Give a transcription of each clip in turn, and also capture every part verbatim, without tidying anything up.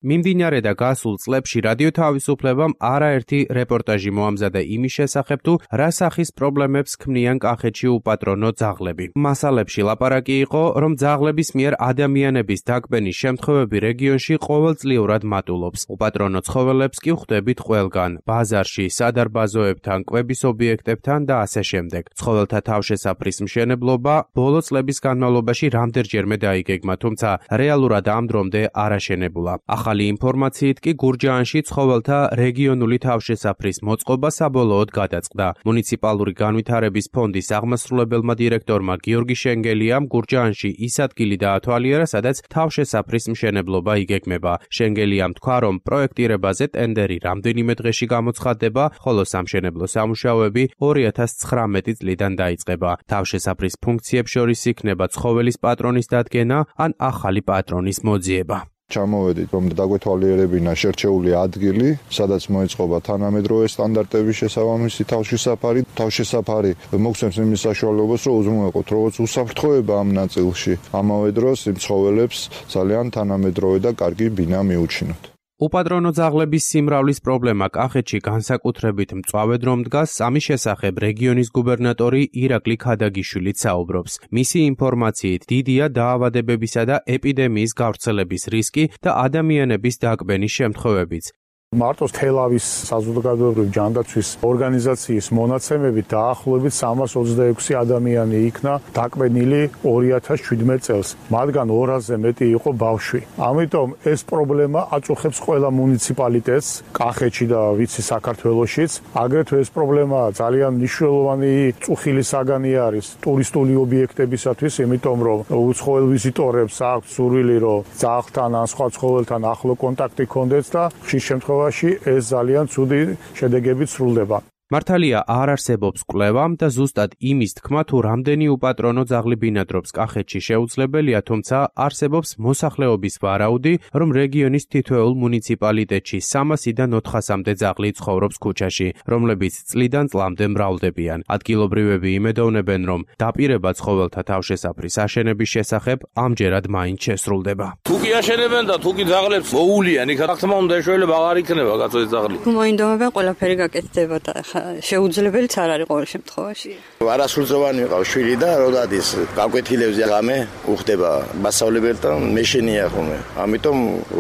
მიმდინარე და გასულ წლებში რადიო თავისუფლებამ არაერთი რეპორტაჟი მოამზადა იმის შესახებ, თუ რა სახის პრობლემებს ქმნიან კახეთში უპატრონო ძაღლები. მასალებში ლაპარაკი იყო, რომ ძაღლების მიერ ადამიანების დაკბენის შემთხვევები რეგიონში ყოველწლიურად მატულობს. უპატრონო ცხოველებს კი ხვდებით ყველგან, ბაზარში, სადარბაზოებთან, კვების ობიექტებთან და ასე შემდეგ. ცხოველთა თავშესაფრის მშენებლობა ბოლო წლების განმავლობაში რამდენჯერმე დაიგეგმა, თუმცა რეალურად ამ დრომდე არ აშენებულა. ახალი ინფორმაციით კი გურჯაანში ცხოველთა რეგიონული თავშესაფრის მოწყობა საბოლოოდ გადაწყდა. მუნიციპალური განვითარების ფონდის აღმასრულებელმა დირექტორმა გიორგი შენგელიამ გურჯაანში ის ადგილი დაათვალიერა, სადაც თავშესაფრის მშენებლობა იგეგმება. შენგელიამ თქვა, რომ პროექტირებაზე ტენდერი რამდენიმე დღეში გამოცხადდება, ხოლო სამშენებლო სამუშაოები ორი ათას ცხრამეტი წლიდან დაიწყება. თავშესაფრის ფუნქციებს შორის იქნება ცხოველის პატრონის დადგენა ან ახალი პატრონის მოძიება. ჩამოვედით, რომ დაგვეთვალიერებინა შერჩეული ადგილი, სადაც მოეწყობა თანამედროვე სტანდარტების შესაბამისი თავშესაფარი. თავშესაფარი მოგცემს იმის საშუალებას, რომ უზრუნველყოთ როგორც უსაფრთხოება ამ ნაწილში, ამავე დროს იმ ცხოველებს ძალიან თანამედროვე და კარგი ბინა მიუჩინოთ. უპატრონო ძაღლების სიმრავლის პრობლემა კახეთში განსაკუთრებით მწვავე დრო დგას, ამის შესახებ რეგიონის გუბერნატორი ირაკლი ქადაგიშვილიც საუბრობს. მისი ინფორმაციით დიდია დაავადებებისა და ეპიდემიის გავრცელების რისკი და ადამიანების დაკბენის შემთხვევებიც. მარტო თელავის საზოგადოებრივი ჯანდაცვის ორგანიზაციის მონაცემებით დაახლოებით სამას ოცდაექვსი ადამიანი იქნა დაკბენილი ორი ათას შვიდმეტ წელს. მათგან ორასზე მეტი იყო ბავშვი. ამიტომ ეს პრობლემა აწუხებს ყველა მუნიციპალიტეტს, კახეთში და ვიცი საქართველოშიც. აგრეთვე ეს პრობლემა ძალიან მნიშვნელოვანი წუხილი საგანი არის ტურისტული ობიექტებისათვის, იმიტომ რომ უცხოელ ვიზიტორებს აქვს სურვილი, რომ ძაღლთან ან სხვა ცხოველთან ახლო კონტაქტი ჰქონდეთ და ხშირ შემთხვევაში ეს ძალიან ცუდი შედეგებით სრულდება. მართალია არ არსებობს კვლევამ და ზუსტად იმის თქმა, თუ რამდენი უპატრონო ძაღლი ბინადრობს კახეთში შეუძლებელია, თუმცა არსებობს მოსახლეობის ვარაუდი, რომ რეგიონის თითოეულ მუნიციპალიტეტში სამასიდან ოთხასამდე ძაღლი ცხოვრობს ქუჩაში, რომლებიც წლიდან წლამდე მრავლდებიან. ადგილობრივები იმედოვნებენ, რომ დაპირება ცხოველთა თავშესაფრის აშენების შესახებ ამჯერად მაინც შესრულდება. თუ კი აშენებენ და თუ კი ძაღლებს მოულიან, იქ რა თქმა უნდა ეშველება აღარ იქნება კაცო ეს ძაღლი. მოინდომება ყველაფერი გაკეთდება და შეუძლებელიც არ არის ყოველ შემთხვევაში. არასრულწლოვანი ვიყავ შვილი და როდადის გაკვეთილებზე გამე უხდება მასწავლებელთან მეშენია ხოლმე. ამიტომ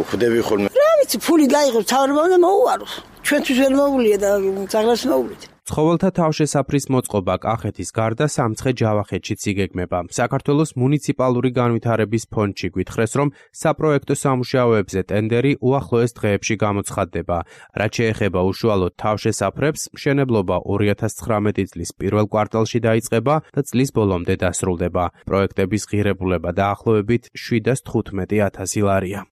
ხვდები ხოლმე. რა ვიცი, ფული გაიღებს, თავრობა უნდა მოუარო. ჩვენთვის ვერ მოუვლია და ძაღლებს მოუვლით. ცხოველთა თავშესაფრის მოწყობა კახეთის გარდა სამცხე ჯავახეთშიც იგეგმება. საქართველოს მუნიციპალური განვითარების ფონდში გვითხრეს, რომ საპროექტო სამუშაოებზე ტენდერი უახლოეს დღეებში გამოცხადდება. რაც შეეხება უშუალოდ თავშესაფრებს, მშენებლობა ორი ათას ცხრამეტი წლის პირველ კვარტალში დაიწყება და წლის ბოლომდე დასრულდება. პროექტების ღირებულება დაახლოებით შვიდას თხუთმეტი ათასი ლარია.